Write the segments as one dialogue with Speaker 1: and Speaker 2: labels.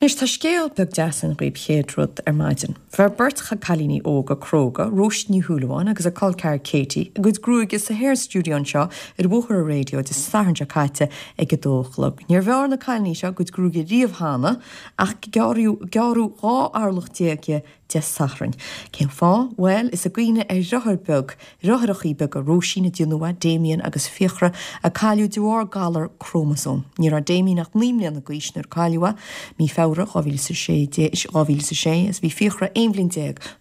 Speaker 1: Anois tá scéal beag deas againn dhaoib chéad rud ar maidin. Bhearr beirt chailíní óga cróga, Róisín Ní Shúilleabháin agus a col ceathar Katie, a gcuid gruaige sa Hair Studio anseo ar Bhóthar an Raidió Dé Sathairn seo caite ag a dó a chlog. Níor bhearr na cailíní seo a gcuid gruaige riamh cheana ach gearradh 12 orlach di Dé Sathairn. Cén fáth? Bhuel, is i gcuimhne ar dhriotháir beag, dhriotháireachaí beaga Róisín a déanadh é, Damien agus Fiachra, a cailleadh de bharr galar crómasóm. Ní raibh Damien ach 9 mbliana d'aois nuair a cailleadh é, mí Feabhra 2016, 2006, agus bhí Fiachra 11 bhliain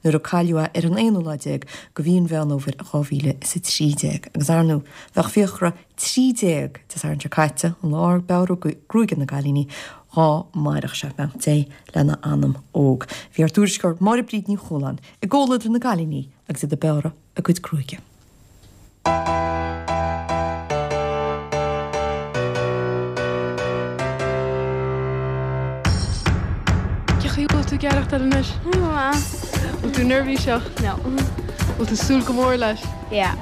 Speaker 1: nuair a cailleadh é ar an aonú lá déag de mhí an Mheán Fhómhair 2013. Agus ar ndóigh, bheadh Fiachra 13 Dé Sathairn seo caite, an lá ar bearradh gruaige na gcailíní, dhá mairfeadh sé, beannacht Dé lena anam óg. Bhí ár dtuairisceoir Máire Bríd Ní Chualáin i gcomhluadar na gcailíní agus iad ag bearradh a gcuid gruaige.
Speaker 2: Cén chaoi a bhfuil tú ag aireachtáil anois?
Speaker 3: Go maith.
Speaker 2: Bhfuil tú neirbhíseach?
Speaker 3: No.
Speaker 2: Bhfuil tú ag súil go mór leis?
Speaker 3: Yeah.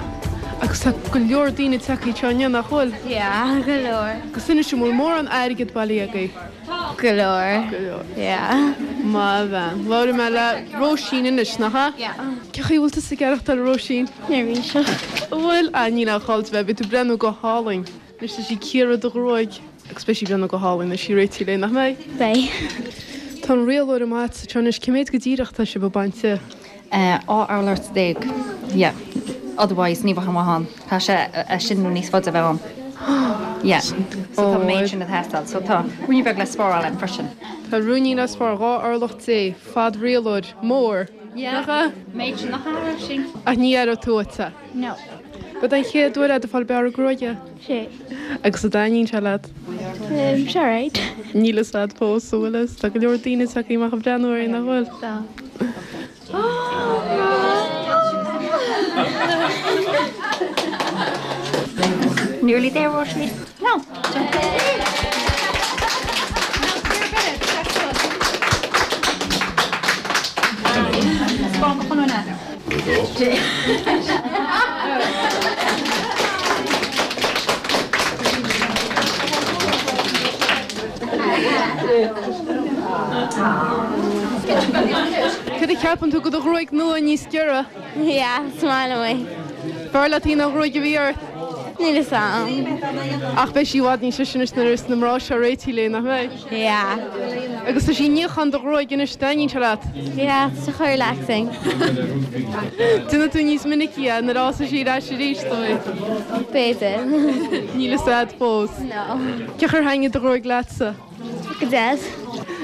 Speaker 2: Agus tá go leor daoine tagtha anseo inniu, nach bhfuil?
Speaker 3: Yeah, go leor.
Speaker 2: Agus inis dom, an bhfuil mórán airgead bailithe agaibh?
Speaker 3: Go leor.
Speaker 2: Go leor.
Speaker 3: Yeah.
Speaker 2: Maith bhean. Labhróidh mé le Róisín anois, nach ea?
Speaker 3: Yeah.
Speaker 2: Cén chaoi a bhfuil tusa ag aireachtáil, a Róisín?
Speaker 3: Neirbhíseach.
Speaker 2: An bhfuil? Ah, níl aon chall duit a bheith, beidh tú ag breathnú go hálainn. Anois tá sí ag cíoradh do ghruaig agus beidh sí ag breathnú go hálainn nuair sí réitithe léi, nach mbeidh?
Speaker 3: Beidh.
Speaker 2: Tá an rialóir amuigh agat anseo anois, cé mhéad go díreach atá sibh ag baint di?
Speaker 4: 12 orlach, yeah. Otherwise ní bheadh aon mhaith ann. Tá sé é sin nó níos faide a bheith ann. Yeah. So tá an méid sin ag teastáil. So tá ruainnín beag le spáráil ann freisin.
Speaker 2: Tá ruainnín le spáráil, 12 orlach, fad rialóir mór.
Speaker 4: Yeah.
Speaker 2: Nach ea?
Speaker 4: Méid sin nach ea, Róisín?
Speaker 2: Ach ní aireoidh tú uait é.
Speaker 3: No.
Speaker 2: Ab é an chéad uair é do fáil bearradh gruaige?
Speaker 3: Sé.
Speaker 2: Agus an dtaitníonn sé leat?
Speaker 3: Tá sé alright.
Speaker 2: Níl fhios a'd fós, an bhfuil fhios? Tá go leor daoine tagtha amach ag breathnú uirthi, nach bhfuil?
Speaker 3: Tá.
Speaker 4: Nearly there, Róisín. No.
Speaker 2: Cad a cheapann tú de do ghruaig nua níos giorra?
Speaker 3: Yeah, is maith liom é.
Speaker 2: B'fhearr leat í ná an ghruaig a bhí ort?
Speaker 3: Níl fhios a'm.
Speaker 2: Ach beidh sí i bhfad níos deise anois nuair a bheas na mná seo réitithe léi, nach mbeidh?
Speaker 3: Yeah.
Speaker 2: Agus tá sí ag níochán do ghruaig anois, taitníonn sé leat?
Speaker 3: Yeah, tá sé chomh relaxing.
Speaker 2: Déanfaidh tú níos minicí é nuair a fhásfaidh sí ar ais arís, dóigh?
Speaker 3: B'fhéidir.
Speaker 2: Níl fhios a'd fós.
Speaker 3: No.
Speaker 2: Cén chaoi ar thaitnigh do ghruaig leatsa?
Speaker 3: Go deas.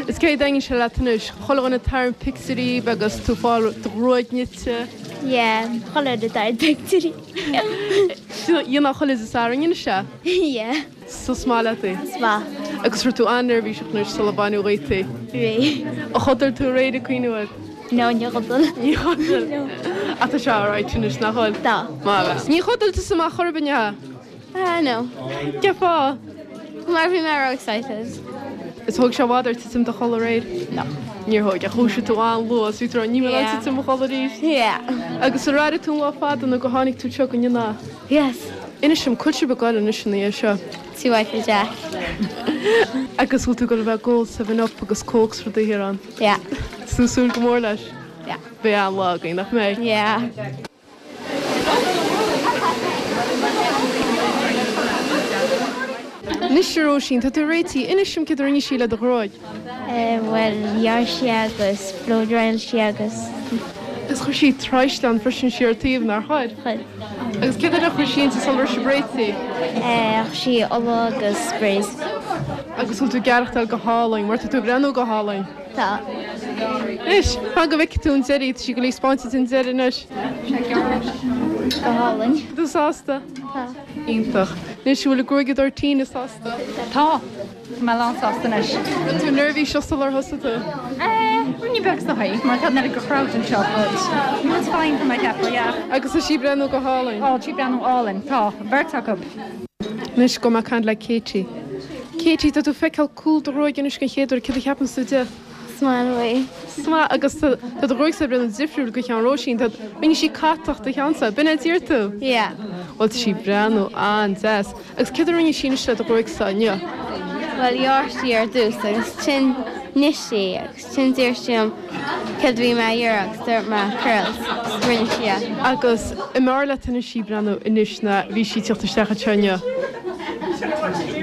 Speaker 2: Is cé dtaitníonn sé leat anois? Chuile dhuine ag tarraingt pictiúirí agus tú ag fáil do ghruaig nite.
Speaker 3: Yeah, chuile dhuine ag tarraingt pictiúirí.
Speaker 2: Dhéanfá chuile Dé Sathairn anois é?
Speaker 3: Yeah.
Speaker 2: So is maith leat í?
Speaker 3: Is maith.
Speaker 2: Agus raibh tú an-neirbhíseach anois sula baineadh dhíot í?
Speaker 3: Bhí.
Speaker 2: Ar chodail tú aréir ag cuimhniú air?
Speaker 3: No, níor chodail.
Speaker 2: Níor chodail?
Speaker 3: No.
Speaker 2: Ach tá sé alright anois, nach bhfuil?
Speaker 3: Tá.
Speaker 2: Maith. Níor chodail tusa amach chor ar bith, an ea?
Speaker 3: Ah, no.
Speaker 2: Cén fáth?
Speaker 3: Mar bhí mé ró-excited.
Speaker 2: Is thóg sé i bhfad ort titim i do chodladh aréir?
Speaker 3: No.
Speaker 2: Níor thóg, ach dhúisigh tú an-luath, is bhí tú ag rá níl mé in ann titim i mo chodladh arís.
Speaker 3: Yeah.
Speaker 2: Agus ar airigh tú an lá fada nó gur tháinig tú anseo go inniu?
Speaker 3: Yes.
Speaker 2: Inis dom, cá bhfuil sibh ag goil anois ina dhiaidh seo?
Speaker 3: Tí Mhichael Jack.
Speaker 2: Agus bhfuil tú ag goil a bheith ag ól Seven Up agus Coke is rudaí thiar ann?
Speaker 3: Yeah.
Speaker 2: Is tú ag súil go mór leis?
Speaker 3: Yeah.
Speaker 2: Beidh an-lá againn, nach mbeidh?
Speaker 3: Yeah.
Speaker 2: Anois a Róisín, tá tú réitithe. Inis dom céard a rinne sí le do ghruaig.
Speaker 3: Bhuel, ghearr sí agus blow dryáil sí agus.
Speaker 2: Agus chuir sí traoisleán freisin siar taobh, nár chuir?
Speaker 3: Chuir.
Speaker 2: Agus céard eile a chuir sí inti sula raibh sibh réitithe?
Speaker 3: Chuir sí ola agus sprays.
Speaker 2: Agus bhfuil tú ag aireachtáil go hálainn, mar tá tú ag breathnú go hálainn.
Speaker 3: Tá.
Speaker 2: Anois, fan go bhfeicfidh tú an deireadh, tá sí ag goil a 'spáint duit an deireadh anois.
Speaker 3: Go hálainn.
Speaker 2: Tá tú sásta?
Speaker 3: Tá.
Speaker 2: Iontach. Anois, an bhfuil an gruaigeadóir Tina sásta?
Speaker 4: Tá. Tá mé lánsásta anois.
Speaker 2: Raibh tú neirbhíseach sular thosaigh tú?
Speaker 4: Eh, ruainnín beag is dóigh, mar tá an oiread de chrowd anseo, but no it's fine tá mé ag ceapadh, yeah.
Speaker 2: Agus tá sí ag breathnú go hálainn.
Speaker 4: Ó, tá sí ag breathnú álainn, tá, an bheirt acu.
Speaker 2: Anois gabhfaidh mé ag caint le Katie. Katie, tá tú ag feiceáil cúl do ghruaige anois den chéad uair, céard a cheapann tú de?
Speaker 3: Is maith liom é.
Speaker 2: Is maith, agus tá do ghruaigse ag breathnú difriúil go cheann Róisín, tá, rinne sí catach de cheannsa, b'in é a d'iarr tú?
Speaker 3: Yeah.
Speaker 2: Bhuel tá sí ag breathnú an-deas. Agus céard a rinne sí anois le do ghruaigse inniu?
Speaker 3: Bhuel, ghearr sí ar dtús agus ansin. Rinne sí agus ansin d'iarr sí orm céard a bhí mé a iarraidh agus dúirt mé curls agus rinne sí é.
Speaker 2: Agus an mb'fhearr leat anois í breathnú anois ná bhí sí ag teacht isteach anseo inniu?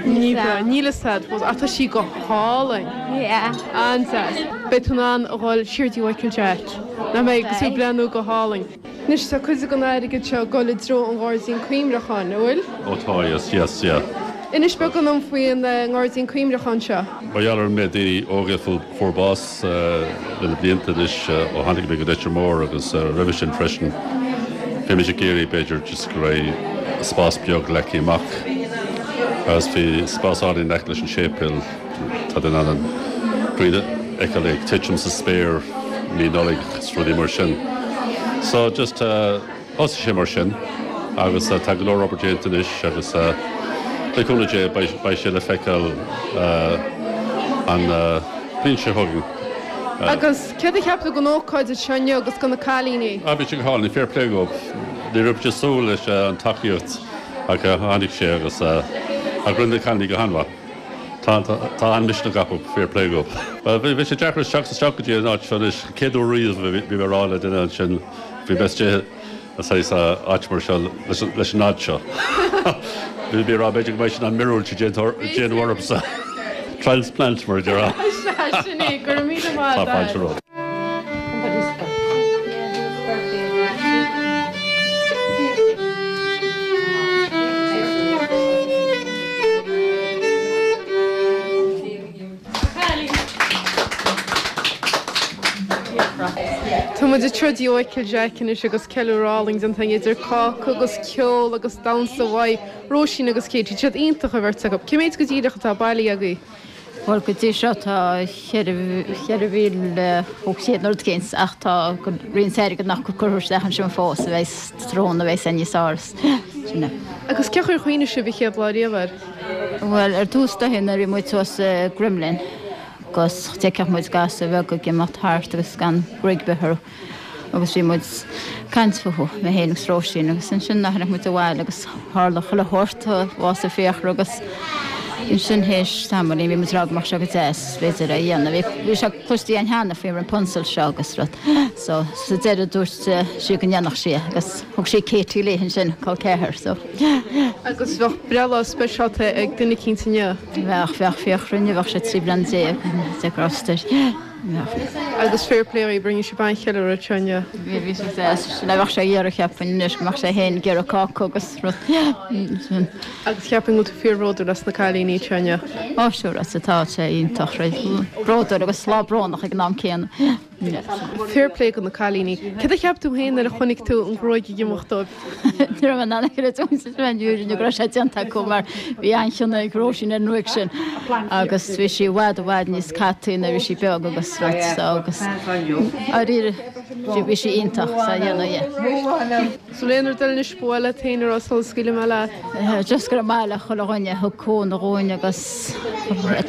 Speaker 2: Ní bheadh, níl a fhios a'd fós ach tá sí go hálainn.
Speaker 3: Yeah.
Speaker 2: An-deas. Beidh tú in ann a dhul siar dtí Mhichael Jack, nach mbeidh, agus tú ag breathnú go hálainn. Anois tá cuid den airgead seo ag dul i dtreo an Ghairdín Cuimhneacháin, an bhfuil?
Speaker 5: Ó tá, yes, yes, yeah.
Speaker 2: Inis beagán dom faoin nGairdín Cuimhneacháin seo.
Speaker 5: Mar gheall ar an méid daoine óga a fuair bás le na blianta anois ó tháinig mé go Leitir Móir agus roimhe sin freisin, bhí mise ag iarraidh b'fhéidir just go raibh spás beag leagtha amach agus bhí spás álainn in aice leis an séipéal. Tá tú in ann an ghrian a fheiceáil ag titim sa spéir mí Nollaig is rudaí mar sin. So just thosaigh sé mar sin agus tá go leor obair déanta anois agus le cúnamh Dé beidh sé le feiceáil an bhliain seo chugainn.
Speaker 2: Agus céard a cheap tú den ócáid anseo inniu agus de na cailíní?
Speaker 5: Ah bhí sé go hálainn, fair play dhóibh. Ní raibh mise ag súil leis an tacaíocht ach tháinig sé agus ach rinne na cailíní go han-mhaith. Tá an-mhisneach acu, fair play dhóibh. Bhuel, bhí sé deacair teacht isteach go dtí an áit seo anois. Chéad uair riamh a bhí mé ag rá le duine ansin, bhí mé istigh i saghas áit mar seo leis an fhad seo. Bhí mé ag rá b'fhéidir go mbeidh sin an mhíorúilt a déanamh ormsa. Transplant mar a déarfá.
Speaker 2: Sea, sin é. Go raibh míle maith
Speaker 5: Tá fáilte romhat.
Speaker 2: Tá muid anseo i dTigh Mhichael Jack anois agus ceiliúradh álainn déanta againn idir cáca agus ceol agus damhsa mhaith. Róisín agus Katie, tá siad iontach an bheirt acu. Cé méid go díreach atá bailithe agaibh?
Speaker 6: Bhuel, go dtí seo tá 4,500 nó rud éicint ach tá roinnt airgead nach curtha isteach ansin fós a bheas tráthnóna a bheas níos fearr. Sin
Speaker 2: é. Agus cén chaoi ar chuimhnigh sibh an chéad lá riamh air?
Speaker 6: Bhuel, ar dtús dóiche nuair a bhí muid thuas i gCromghlinn agus d'fheicfeadh muid gasúir bheaga ag imeacht thart agus gan gruaig ar bith orthu. agus bhí muid ag caint fúthu, mé féin agus Róisín, agus ansin tháinig muid abhaile agus tharla chuile shórt, bhásaigh Fiachra agus ansin théis tamaillín bhí muid ag rá go mbeadh sé go deas b'fhéidir é a dhéanamh. Bhí sé cloiste againn cheana faoin Rapunzel seo agus rud so sa deireadh dúirt sí go ndéanfadh sí é agus thug sí Katie léi ansin, col ceathar so.
Speaker 2: Agus bheadh breithlá speisialta ag duine eicínt inniu?
Speaker 6: Bheadh, bheadh Fiachra inniu, bheadh sé 13 bliana de ghrást air.
Speaker 2: Agus fair play dhaoibh, rinne sibh an-cheiliúradh anseo inniu.
Speaker 6: Bhí, bhí sé deas. Sin é, bheadh sé ag iarraidh, cheapfainn anois, go mbeadh sé féin ag iarraidh cáca agus rud. Sin.
Speaker 2: Agus cheapfainn go bhfuil tú fíorbhródúil as na cailíní anseo inniu.
Speaker 6: Ó, sure, sea, tá sé iontach, right. Bródúil agus lá brónach ag an am céanna.
Speaker 2: Fair play do na cailíní. Céard a cheap tú féin nuair a chonaic tú an ghruaig ag imeacht dóibh?
Speaker 6: Ní raibh mé in ann a chreidiúint ar an fhírinne go raibh sé déanta acu mar bhí an-chion ag Róisín ar an ngruaig sin agus bhí sí i bhfad i bhfad níos cataí nuair a bhí sí beag agus rud so agus dáiríre bhí sí iontach sa dhéanamh
Speaker 2: yeah. So bhfuil aon rud eile anois ba mhaith leat féin a rá sula scaoilfidh mé
Speaker 6: leat? Just go raibh maith le chuile dhuine a thug cúnamh dhúinn agus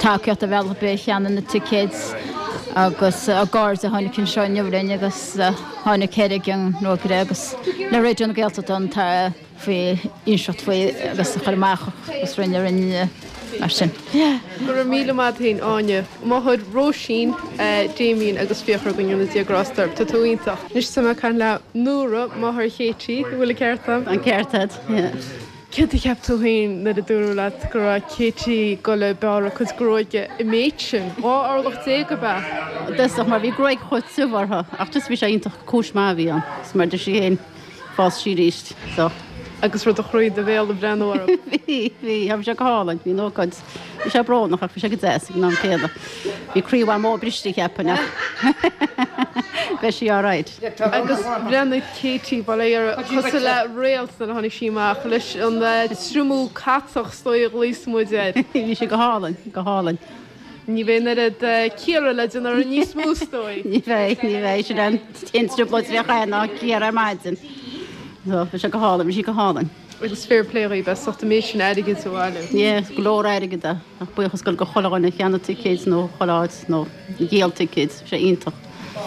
Speaker 6: tacaíocht ar bhealach ar bith a cheannaigh na ticéid agus ár gcairde a tháinig anseo inniu linn agus Tháinig 4 gceann rógaire agus le Raidió na Gaeltachta an faoi inseacht faoi agus a chur amach agus rinne rinne mar sin.
Speaker 2: Go raibh míle maith a't féin Áine. Máthair Róisín, Damien agus Fiachra go ndéana Dia grásta orthu. Tá tú iontach. Anois tá mé ag caint le Nóra, máthair Katie, an bhfuil an ceart
Speaker 6: a'm? An ceart a'd, yeah.
Speaker 2: Céard a cheap tú féin nuair a dúradh leat go raibh Katie ag dul ag bearradh a cuid gruaige an méid sin? 12 orlach ab
Speaker 6: ea? I dtosach mar bhí gruaig chomh tiubh orthu ach just bhí sé iontach cúis maith a bhí ann is mar deir sí féin fás sí arís so.
Speaker 2: Agus raibh do chroí i do bhéal ag breathnú
Speaker 6: orthu? Bhí, bhí, bhí sé go hálainn, bhí an ócáid, bhí sé brónach ach bhí sé go deas ag an am céanna. Bhí croí Mhamó briste cheapfainn ach beidh sí alright.
Speaker 2: Agus bhreathnaigh Katie, bail ó Dhia uirthi, cosúil le réalt nuair a tháinig sí amach leis an triomú catach is dóigh a ghlaos muid air.
Speaker 6: Bhí sí go hálainn, go hálainn.
Speaker 2: Ní bheidh an oiread cíoradh le déanamh uirthi níos mó is dóigh.
Speaker 6: Ní bheidh, ní bheidh. Sin an t-aon trioblóid a bheadh ann ná cíoradh ar maidin. So, bhí sé go hálainn, bhí sí go hálainn.
Speaker 2: Agus fair play dhaoibh as ucht an méid sin airgid a bhailiú.
Speaker 6: Yeah, go leor airgid é. Ach buíochas go chuile dhuine a cheannaigh ticéid nó chuile áit nó dhíol ticéid, bhí sé iontach.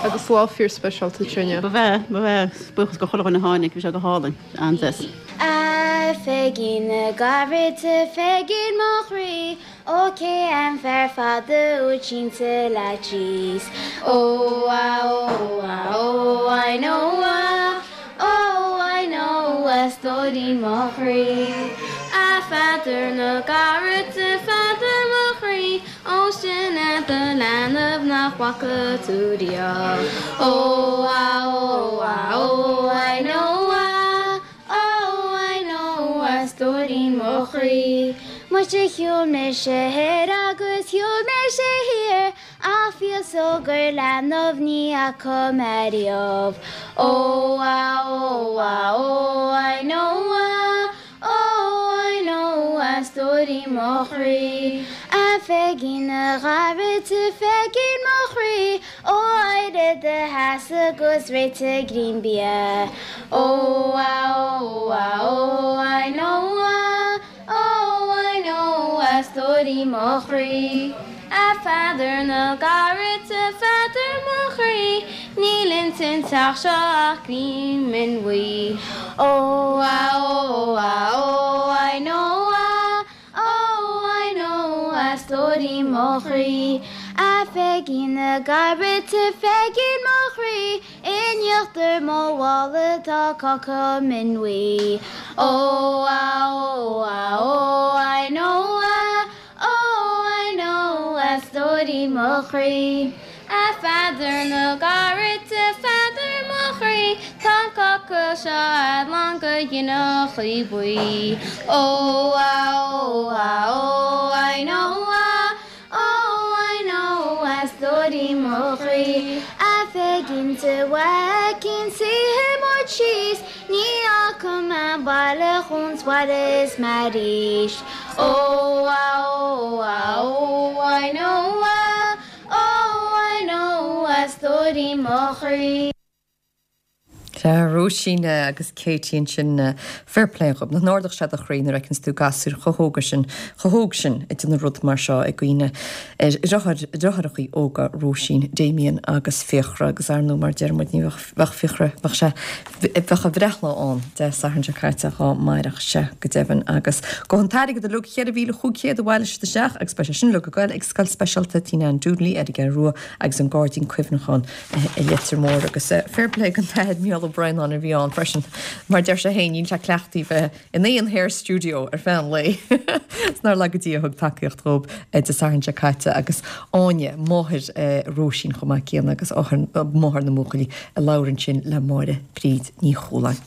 Speaker 2: Agus lá fíor speisialta anseo
Speaker 6: inniu. Ba bhea, ba bhea. Buíochas go chuile dhuine a tháinig, bhí sé go hálainn, an-deas.
Speaker 3: A Pheigín na gcairde, Pheigín mo chroí. Ó cé an fear fada úd sínte leat síos? Ó a ó a ó I know a ó I know a stóirín mo chroí. A Pheadair na gcarad a Pheadair mo chroí ó sin é do leanbh nach bhfaca tú riamh. Ó a ó a ó I know a Oh I know a stóirín mo chroí. Muise shiúil mise thoir agus shiúil mise thiar ach fios gur leanbh ní fhaca mé riamh. Oh ah oh ah oh I know ah oh I know a stóirín mo chroí. A Pheigín a gcarad a Pheigín mo chroí Ó éirigh i do sheasamh agus réitigh greim bia Ó a ó a ó I know a ó I know a stóirín mo chroí A Pheadair na gcarad a Pheadair mo chroí Níl ins an teach seo ach greim min bhuí Ó a ó a ó I know a Oh I know a stóirín mo chroí A Pheigín na gcarad a Pheigín mo chroí In íochtar mo mhála tá cáca min bhuí Oh ah oh ah oh I know ah oh I know a stóirín mo chroí. A Pheadair na gcarad, a Pheadair mo chroí, tá an cáca seo a'd lán go ghineachaí buí. Ó a ó a ó I know a ó I know a stóirín mo chroí. A Pheigín sa bhaicín suífidh muid síos, ní fhágfaidh mé an baile chun 's mé arís. Ó a ó a ó I know a Oh I know a stóirín mo chroí.
Speaker 1: Sea, Róisín agus Katie ansin, fair play dhób. Nach n-ardódh sé do chroí nuair a fheiceanns tú gasúir chomh hóga sin, chomh hóg sin ag déanamh rud mar seo ag cuimhneamh ar a dheartháireachaí óga Róisín, Damien agus Fiachra agus ar ndóigh mar a deir muid ní bheadh Fiachra, bheadh sé Bheadh a bhreithlá ann Dé Sathairn seo caite dhá mairfeadh sé, go deimhin, agus gabhfaidh an t-airgead uilig, 4,500 a bhailigh siad isteach agus beidh sé sin uilig ag goil ag Scoil Speisialta Tina Ann Dooney ar an gCeathrú Rua agus an Gairdín Cuimhneacháin i Leitir Móir. Agus fair play don t-athair Mícheál Ó Braonáin a bhí ann freisin, mar deir sé féin, níl sé cleachtaithe bheith in aon hair studio ar feadh an lae. Is nár laga Dia a thug tacaíocht dhób Dé Sathairn seo caite agus Áine, máthair Róisín chomh maith céanna agus máthair na mbuachaillí a labhair ansin le Máire Bríd Ní Chualáin.